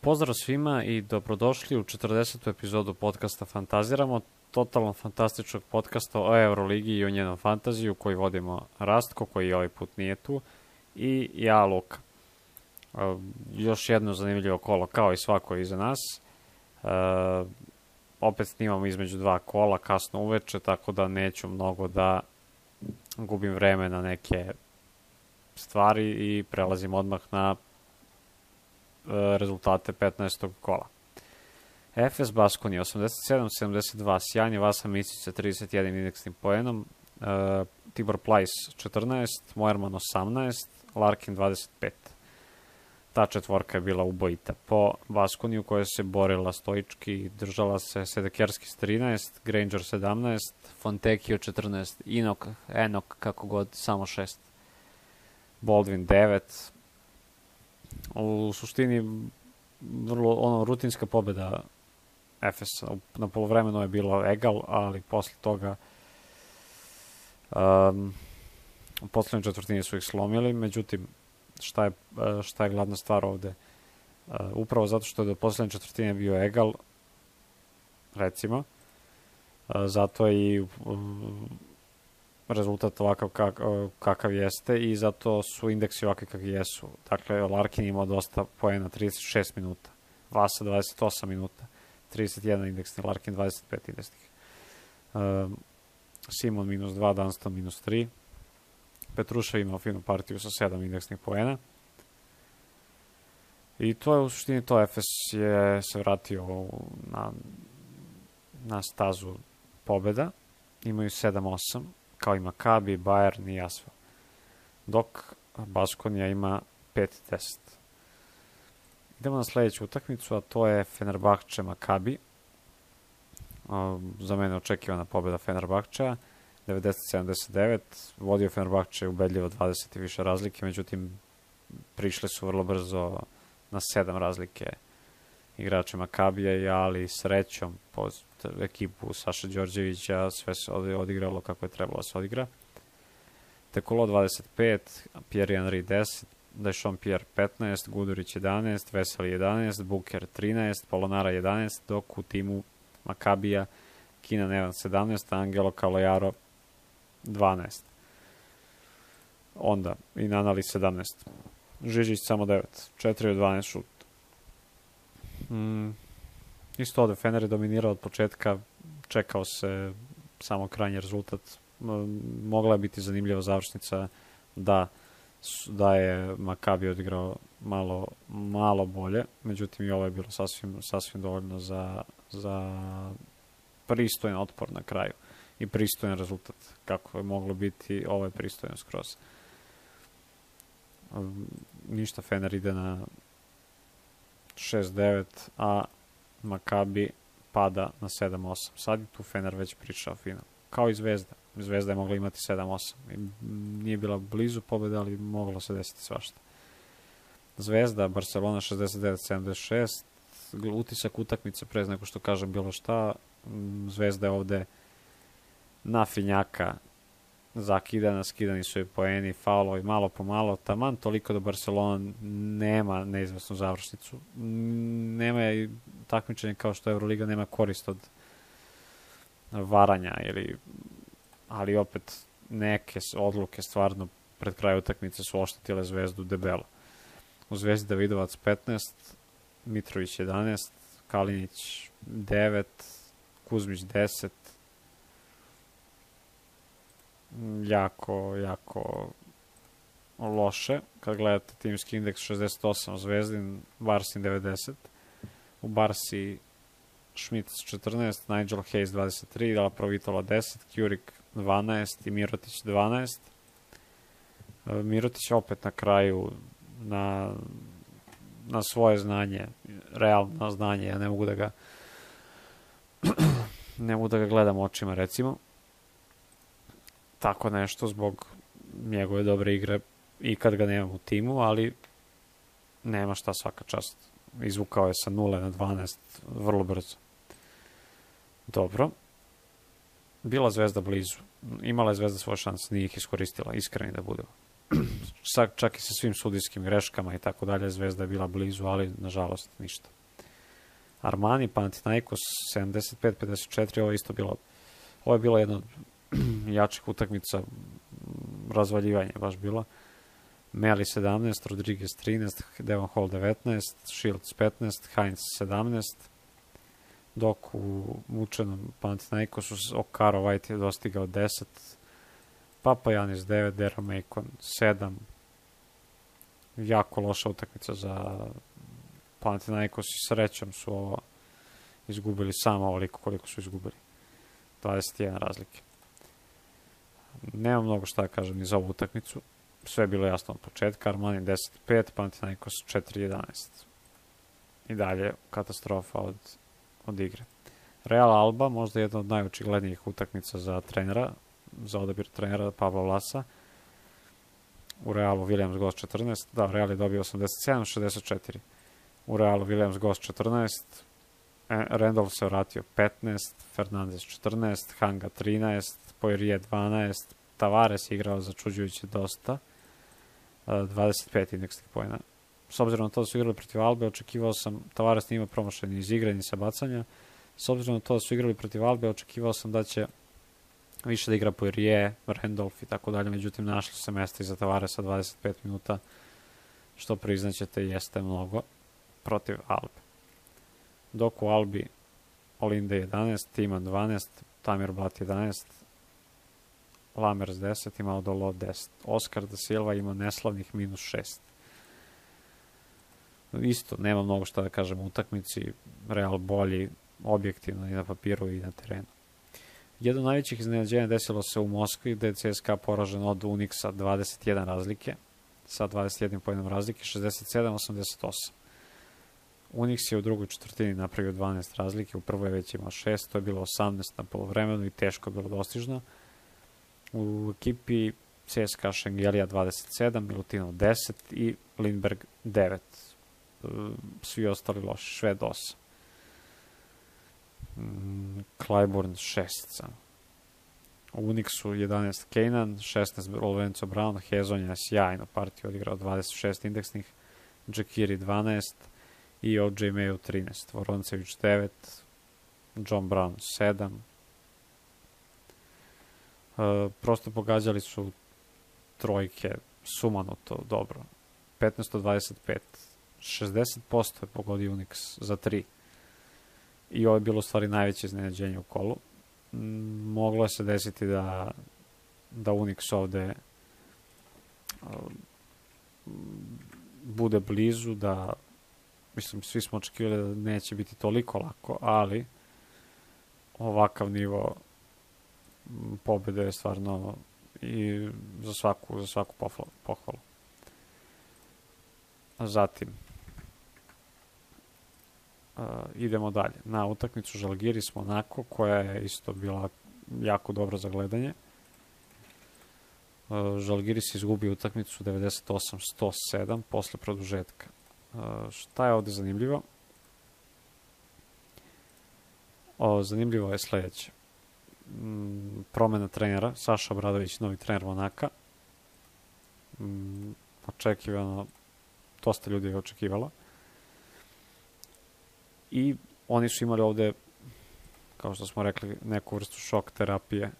Pozdrav svima i dobrodošli u 40. epizodu podcasta Fantaziramo, totalno fantastičnog podcasta o Euroligi i o njenom fantaziju koji vodimo Rastko, koji ovaj put nije tu, i ja, Luka. Još jedno zanimljivo kolo, kao i svako iza nas. Opet snimamo između dva kola, kasno uveče, tako da neću mnogo da gubim vreme na neke stvari i prelazim odmah na rezultate 15. kola. Efes Baskonija 87-72, sjajni Vasa Micić sa 31 indeksnim poenom, Tibor Plajs 14, Moerman 18, Larkin 25. Ta četvorka je bila ubojita po Baskoniju koja se borila stoički, držala se Sedekerski s 13, Granger 17, Fontecchio 14, Enok kako god, samo 6, Baldwin 9. U suštini vrlo rutinska pobjeda Efesa. Na polovremenu je bilo egal, ali posle toga u poslednjoj četvrtini su ih slomili. Međutim, šta je glavna stvar ovde? Upravo zato što je do poslednje četvrtine bio egal, recimo, zato je i rezultat ovakav kakav jeste i zato su indeksi ovakvi kakvi jesu. Dakle, Larkin imao dosta poena, 36 minuta, Vasa 28 minuta, 31 indeksni, Larkin 25 indeksnih. Simon -2, Dunston -3. Petrušev imao finu partiju sa 7 indeksnih poena. I to je u suštini to. Efes je se vratio na stazu pobjeda. Imaju 7-8. Kao i Maccabi, Bayern i Asvel. Dok Baskonija ima 5-10. Idemo na sledeću utakmicu, a to je Fenerbahče Maccabi. Za mene očekivana pobjeda Fenerbahčea, 90-79. Vodio Fenerbahče ubedljivo 20 i više razlike, međutim prišli su vrlo brzo na 7 razlike igrače Maccabija, ali srećom po ekipu Saša Đorđevića sve se odigralo kako je trebalo da se odigra. Tekolo 25, Pierre Henry 10, Dešon Pierre 15, Gudurić 11, Veseli 11, Buker 13, Polonara 11, dok u timu Maccabija Keenan Evans 17, Angelo Calojaro 12. Onda i Nanali 17. Žižić samo 9, 4 od 12 šut. Isto ovde Fener je dominirao od početka, čekao se samo krajnji rezultat. Mogla je biti zanimljiva završnica da je Maccabi odigrao malo bolje, međutim i ovo je bilo sasvim dovoljno za pristojan otpor na kraju i pristojan rezultat. Kako je moglo biti, ovo je pristojan skroz. Ništa, Fener ide na 6-9, a Maccabi pada na 7-8. Sad je tu Fener već pričao final. Kao i Zvezda. Zvezda je mogla imati 7-8. Nije bila blizu pobjede, ali moglo se desiti svašta. Zvezda, Barcelona 69-76. Utisak utakmice pre nego što kažem bilo šta. Zvezda je ovde na finjaka zakidana, skidani su i poeni, faulovi malo po malo, taman toliko da Barcelona nema neizvesnu završnicu. Nema i takmičenje kao što Euroliga nema korist od varanja, ali opet neke odluke stvarno pred kraju utakmice su oštetile Zvezdu debelo. U Zvezdi Davidovac 15, Mitrović 11, Kalinić 9, Kuzmić 10. Jako loše. Kad gledate timski indeks 68, Zvezdin, Barsin 90. U Barsi Schmidt 14, Nigel Hayes 23, Dala Provitola 10, Kjurik 12 i Mirotić 12. Mirotić opet na kraju na svoje znanje, realno znanje, ja ne mogu da ga gledam očima, recimo. Tako nešto zbog njegove dobre igre i kad ga nemam u timu, ali nema šta, svaka čast. Izvukao je sa 0 na 12 vrlo brzo. Dobro. Bila Zvezda blizu. Imala je Zvezda svoje šanse, nije ih iskoristila, iskreni da budemo. čak i sa svim sudijskim greškama i tako dalje, Zvezda je bila blizu, ali nažalost ništa. Armani, Panathinaikos 75-54, ovo je bilo jedna od jačih utakmica, razvaljivanje baš bilo. Meli 17, Rodriguez 13, Devon Hall 19, Shields 15, Hines 17, dok u mučenom Panathinaikosu Okaro White je dostigao 10, Papajanis 9, Deron Macon 7. Jako loša utakmica za Panathinaikos i srećom su ovo izgubili samo ovoliko koliko su izgubili. 21 razlike. Nema mnogo šta da kažem ni za ovu utakmicu. Sve je bilo jasno od početka. Armani 10-5, Panathinaikos 4-11. I dalje katastrofa od igre. Real Alba, možda jedna od najočiglednijih utakmica za trenera, za odabir trenera Pavla Vlasa. U Realu Williams Goss 14, da, Real je dobio 87-64. U Realu Williams Goss 14, Randolph se vratio 15, Fernandez 14, Hanga 13, Poirier 12, Tavares je igrao začuđujuće dosta, 25 indeksnih poena. S obzirom na to da su igrali protiv Albe, očekivao sam, Tavares nije imao promašaj ni iz igre, ni sa bacanja. S obzirom na to da su igrali protiv Albe, očekivao sam da će više da igra Poirier, Randolph i tako dalje, međutim našli se mesta iza Tavaresa 25 minuta, što priznaćete jeste mnogo protiv Albe. Dok u Albi Olinde 11, Timan 12, Tamir Blat 11, Lamers 10, ima Odolo 10. Oscar da Silva ima neslavnih -6. Isto, nema mnogo šta da kažem u utakmici, Real bolji objektivno i na papiru i na terenu. Jedno od najvećih iznenađenja desilo se u Moskvi, gde je CSKA poražen od Unixa 21 razlike, sa 21 pojenom razlike, 67-88. Unix je u drugoj četvrtini napravio 12 razlike, u prvoj već imao 6, to je bilo 18 na polovremenu i teško je bilo dostižno. U ekipi CSKA Šengelija 27, Milutinov 10 i Lindberg 9. Svi ostali loši, Šved 8. Clyburn 6 sam. U Unixu 11 Kanan, 16 Lorenzo Brown, Hezonja sjajno partiju odigrao 26 indeksnih, Džekiri 12 i OJ Mayo 13, Voroncević 9, John Brown 7. Prosto pogađali su trojke sumanuto dobro. 15-25. 60% je pogodio Unix za 3. I ovo je bilo u stvari najveće iznenađenje u kolu. Moglo se desiti da Unix ovde bude blizu, da mislim, svi smo očekivali da neće biti toliko lako, ali ovakav nivo pobjede je stvarno i za svaku pohvalu. Zatim idemo dalje na utakmicu Žalgiris Monako, koja je isto bila jako dobra za gledanje. Žalgiris izgubio utakmicu 98-107 posle produžetka. Šta je ovde zanimljivo? Zanimljivo je sledeće. Promena trenera, Saša Obradović, novi trener Monaka. Očekivano, dosta ljudi je očekivalo. I oni su imali ovde, kao što smo rekli, neku vrstu šok terapije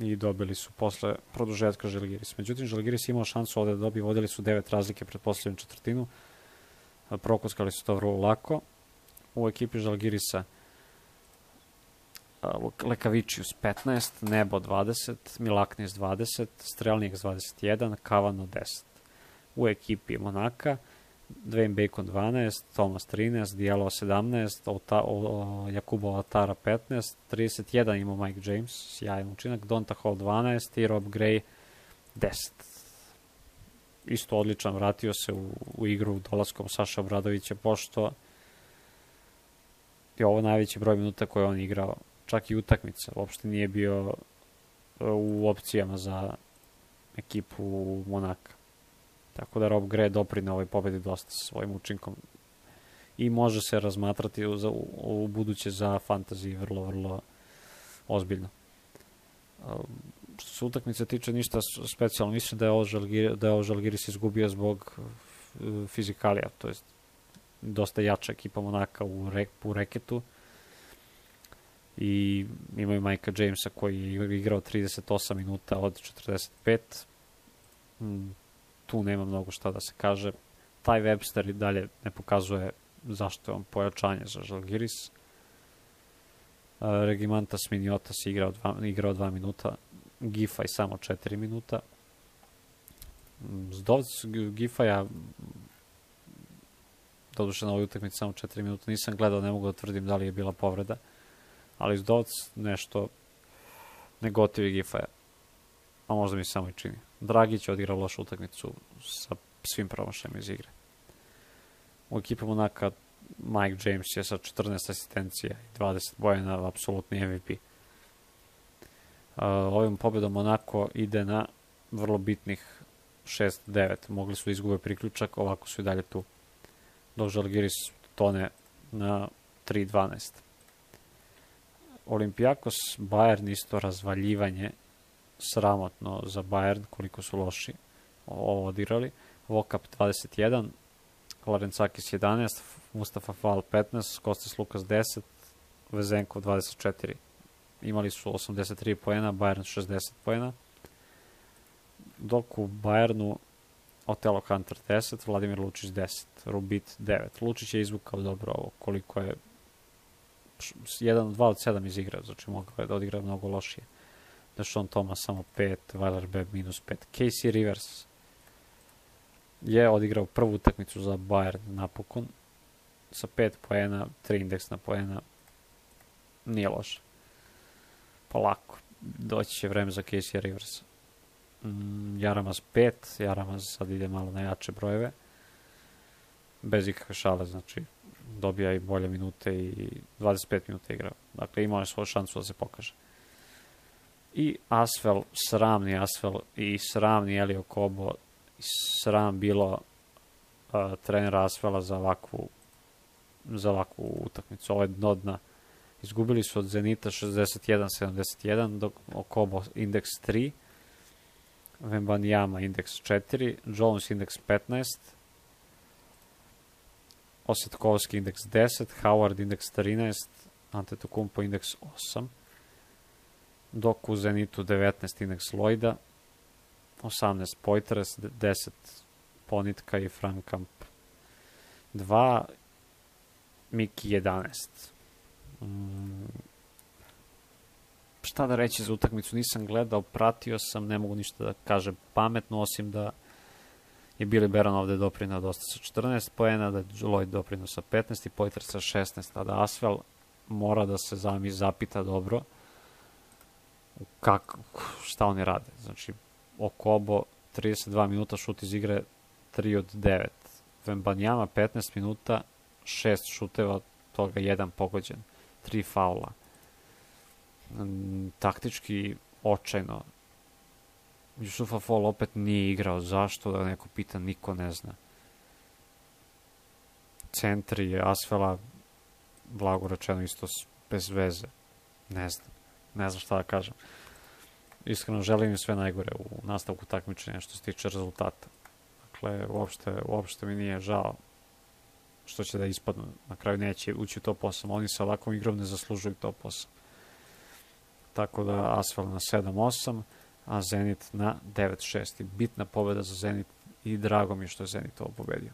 i dobili su posle produžetka Žalgiris. Međutim, Žalgiris imao šansu ovde da dobije, vodili su 9 razlike pred poslednju četvrtinu, prokuskali su to vrlo lako. U ekipi Žalgirisa Lekavičius 15, Nebo 20, Milaknis 20, Strelnik 21, Kavano 10. U ekipi Monaka Dwayne Bacon 12, Thomas 13, Diallo 17, Jakubo Atara 15, 31 imao Mike James, sjajan učinak, Donta Hall 12 i Rob Gray 10. Isto odličan, vratio se u igru dolaskom Saša Obradovića, pošto je ovo najveći broj minuta koje on igrao, čak i utakmica, uopšte nije bio u opcijama za ekipu Monaka. Tako da Rob Gray doprine ovoj pobedi dosta sa svojim učinkom i može se razmatrati u buduće za fantasy vrlo, vrlo ozbiljno. što se utakmice tiče ništa specijalno. Mislim da je Žalgiris izgubio zbog fizikalija, to jest dosta jača ekipa Monaka u reketu i imaju Mike'a Jamesa koji je igrao 38 minuta od 45. Tu nema mnogo šta da se kaže. Taj Webster i dalje ne pokazuje zašto je on pojačanje za Žalgiris. Regimantas Miniotas igrao 2 minuta, Giffey samo 4 minuta. Zdovc Giffeya, doduše na ovoj utakmici samo 4 minuta, nisam gledao, ne mogu da tvrdim da li je bila povreda, ali Zdovc nešto ne gotivi Giffeya, a možda mi samo i čini. Dragić je odigrao lošu utakmicu sa svim promašajima iz igre. U ekipu Monaka Mike James je sa 14 asistencija i 20 poena apsolutni MVP. Ovim pobedom Monako ide na vrlo bitnih 6-9. Mogli su da izgube priključak, ovako su i dalje tu. Dok Žalgiris tone na 3-12. Olympiakos Bayern isto razvaljivanje, sramotno za Bayern koliko su loši ovo odigrali. Vokap 21, Larencakis 11, Mustafa Fall 15, Kostas Lukas 10, Vezenkov 24. Imali su 83 poena, Bayern 60 poena. Dok u Bayernu Otelo Hunter 10, Vladimir Lučić 10, Rubit 9. Lučić je izvukao dobro ovo, koliko je 2 od 7 iz igra, znači mogao je da odigra mnogo lošije. Deshaun Thomas samo 5, Weiler Beb minus 5. Casey Rivers je odigrao prvu utakmicu za Bayern napokon sa 5 poena, 3 indeksna poena. Nije loše. Polako. Doći će vreme za Casey Riversa. Jaramaz 5, Jaramaz sad ide malo na jače brojeve. Bez ikakve šale, znači dobija i bolje minute i 25 minuta igrao. Dakle, imao je svoju šansu da se pokaže. I Asvel, sramni Asvel i sramni Elio Kobo, i sram bilo trenera Asvela za ovakvu utakmicu. Ovo je dno dna. Izgubili su od Zenita 61-71, dok Kobo indeks 3, Wembanyama indeks 4, Jones indeks 15, Osetkovski indeks 10, Howard indeks 13, Antetokounmpo indeks 8, dok u Zenitu 19 indeks Lloyda, 18 Poitras, 10 Ponitka i Frankamp 2, Miki 11. Šta da reći za utakmicu, nisam gledao, pratio sam, ne mogu ništa da kažem pametno, osim da je Billy Baron ovde doprinao dosta sa 14 poena, da je Lloyd doprinao sa 15 i Poitras sa 16, a da Asvel mora da se zapita dobro šta oni rade. Znači, Okobo 32 minuta, šut iz igre 3 od 9. Wembanyama 15 minuta, 6 šuteva, toga 1 pogođen, 3 faula. Taktički očajno. Jusufa Fall opet nije igrao. Zašto? Da neko pita, niko ne zna. Centri Asvela, blago rečeno, isto bez veze. Ne znam šta da kažem. Iskreno želim im sve najgore u nastavku takmičenja što se tiče rezultata. Dakle, uopšte mi nije žao što će da ispadnu. Na kraju neće ući u top 8. Oni sa ovakvom igrom ne zaslužuju top 8. Tako da Asvel na 7-8, a Zenit na 9-6. Bitna pobjeda za Zenit i drago mi je što je Zenit ovo pobedio.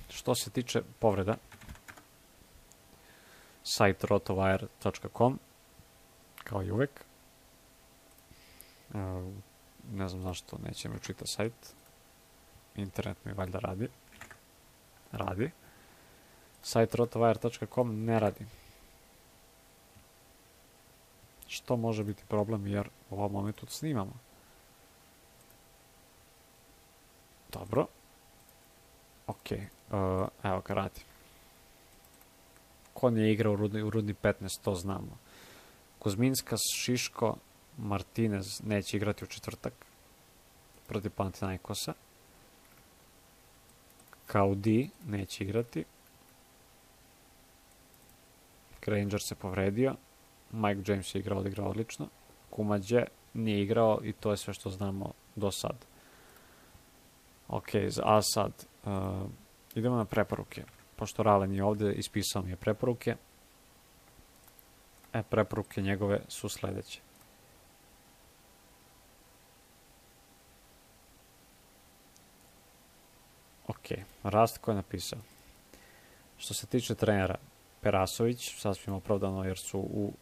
Što se tiče povreda, sajt rotowire.com, kao i uvek. Ne znam zašto neće mi učita sajt. Internet mi valjda radi. Sajt rotowire.com ne radi. Što može biti problem, jer u ovom momentu snimamo. Dobro. Ok, evo ga radi. Ko nije igrao u Rudni 15, to znamo. Kuzminskas, Šiško, Martinez neće igrati u četvrtak protiv Panathinaikosa. Kaudi neće igrati. Granger se povredio. Mike James je odigrao odlično. Kumađe nije igrao i to je sve što znamo do sad. Ok, a sad idemo na preporuke. Pošto Rale nije ovdje, ispisao mi je preporuke. Preporuke njegove su sljedeće. Ok, Rastko je napisao. Što se tiče trenera, Perasović, sasvim opravdano jer su u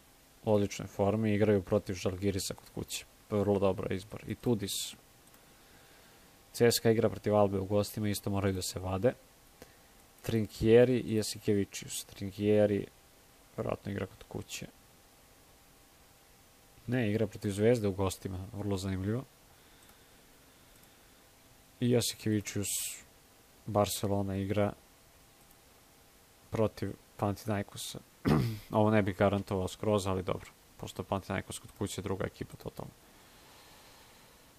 odličnoj formi, igraju protiv Žalgirisa kod kuće. Vrlo dobar izbor. I Tudis. CSKA igra protiv Albe u gostima, isto moraju da se vade. Trinkieri i Jasikevičius. Trinkieri vjerojatno igra kod kuće. Ne, igra protiv Zvezde u gostima, vrlo zanimljivo. I Jasikevičius, Barcelona igra protiv Panathinaikosa. Ovo ne bih garantovao skroz, ali dobro. Pošto je Panathinaikos kod kuće, druga ekipa totalno.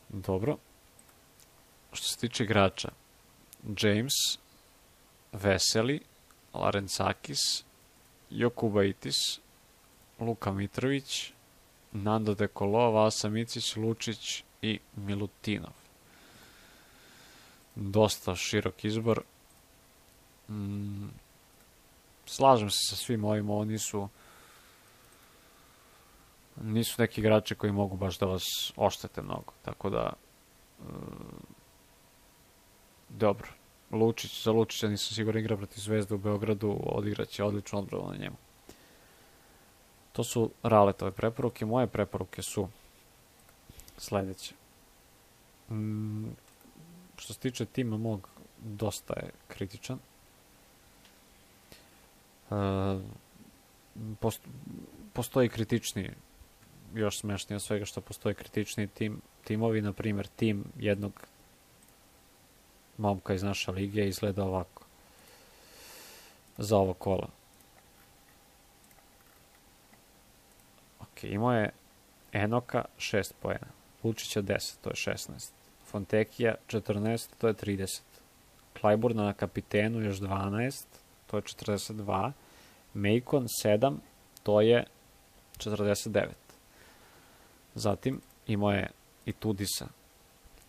Dobro. Što se tiče igrača, James, Veseli, Larentsakis, Jokubaitis, Luka Mitrović, Nando De Colo, Vasa Micić, Lučić i Milutinov. Dosta širok izbor. Slažem se sa svim ovim, ovo nisu neki igrači koji mogu baš da vas oštete mnogo, tako da dobro. Za Lučića nisam siguran, igra protiv Zvezde u Beogradu, odigraće odličnu odbranu na njemu. To su Raletove preporuke. Moje preporuke su sljedeće. Što se tiče tima mog, dosta je kritičan. Postoji kritičniji, još smešnije od svega što postoji kritičniji timovi, na primjer tim jednog momka iz naše lige izgleda ovako za ovo kola. Ok, imao je Enoka 6 poena, Lučića 10, to je 16, Fontekija 14, to je 30, Klajburna na kapitenu još 12, to je 42, Mejkon 7, to je 49. Zatim imao je i Tudisa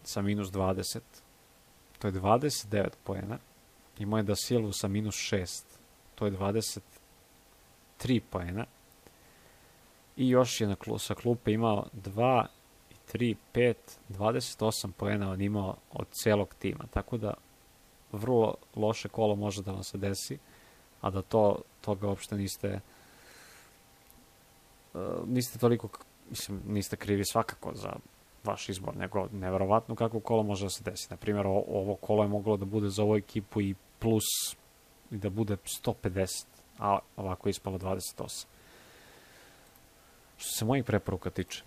sa minus 20, to je 29 poena. Imao je Da Silvu sa minus 6, to je 23 poena. I još je sa klupe imao 2, 3, 5, 28 poena on imao od celog tima. Tako da vrlo loše kolo može da vam se desi, a da toga uopšte niste toliko, mislim, niste krivi svakako za vaš izbor, nego neverovatno kako kolo može da se desi. Naprimjer, ovo kolo je moglo da bude za ovu ekipu i plus i da bude 150, a ovako je ispalo 28. Što se mojih preporuka tiče,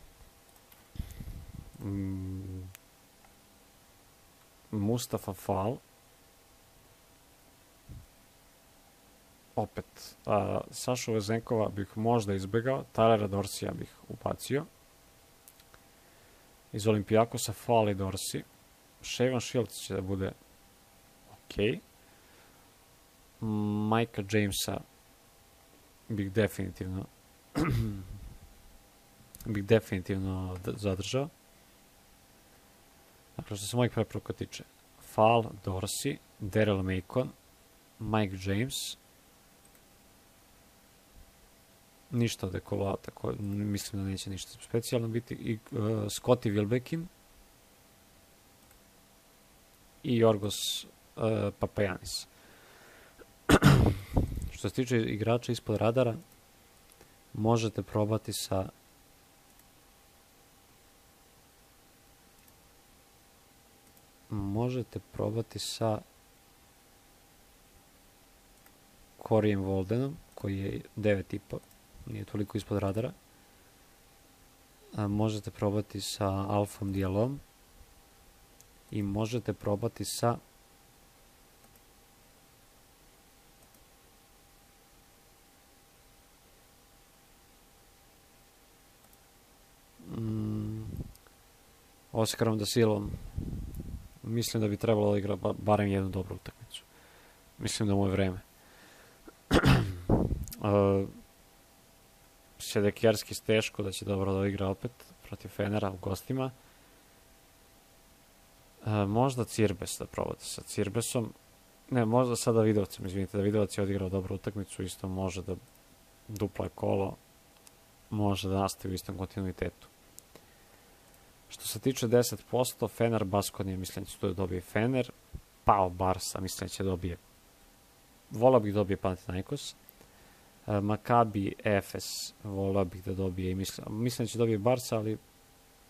Mustafa Fall, opet, Sašu Vezenkova bih možda izbegao, Tylera Dorsija bih upacio, iz Olimpijakosa Fall i Dorsi, Shaven Shields će da bude ok, Micah Jamesa bih definitivno zadržao. Dakle, što se mojih preporuka tiče, Fall, Dorsi, Daryl Macon, Mike James, ništa od Ekoloa, tako mislim da neće ništa specijalno biti, i Scottie Wilbekin i Jorgos Papajanis. Što se tiče igrača ispod radara, možete probati sa Korijem Voldenom, koji je 9,5, nije toliko ispod radara. Možete probati sa Alfom Dialom i možete probati sa Oskarom Da Silvom. Mislim da bi trebalo da igra barem jednu dobru utakmicu. Mislim da mu je vreme. Sedekjerski teško da će dobro da igra opet protiv Fenera u gostima. Možda Cirbes da provode sa Cirbesom. Ne, možda sada Davidovcem, izvinite, Davidovac je odigrao dobru utakmicu, isto može da dupla kolo, može da nastavi u istom kontinuitetu. Što se tiče 10%, Fener Baskonija, mislim da će tu da dobije Fener, Pao Barsa, mislim da će dobije, volao bih da dobije Panathinaikos, Makabi Efes, volao bih da dobije, i mislim da će dobije Barsa, ali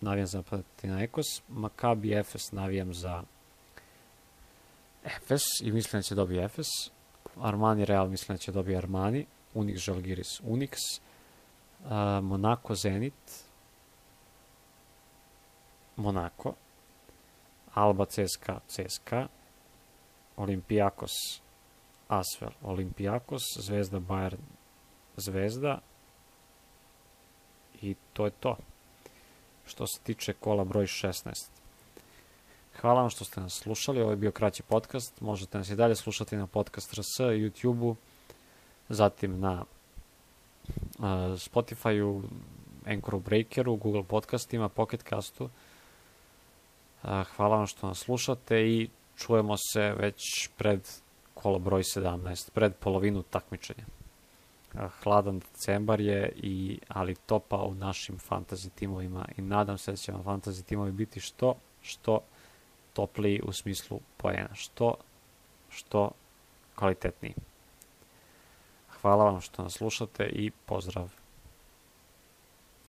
navijam za Panathinaikos, Makabi Efes navijam za Efes i mislim da će dobije Efes, Armani Real mislim da će dobije Armani, Unix Žalgiris Unix, Monaco Zenit, Monaco, Alba CSKA CSKA, Olympiakos Asvel Olympiakos, Zvezda Bayern Zvezda i to je to što se tiče kola broj 16. Hvala vam što ste nas slušali, ovo je bio kraći podcast, možete nas i dalje slušati na Podcast RS, YouTube-u, zatim na Spotify-u, Anchoru, Breakeru, Google podcastima, Pocket Castu. Hvala vam što nas slušate i čujemo se već pred kolo broj 17, pred polovinu takmičenja. Hladan decembar je, ali topa u našim fantasy timovima i nadam se da će vam fantasy timovi biti što topliji u smislu poena, što kvalitetniji. Hvala vam što nas slušate i pozdrav.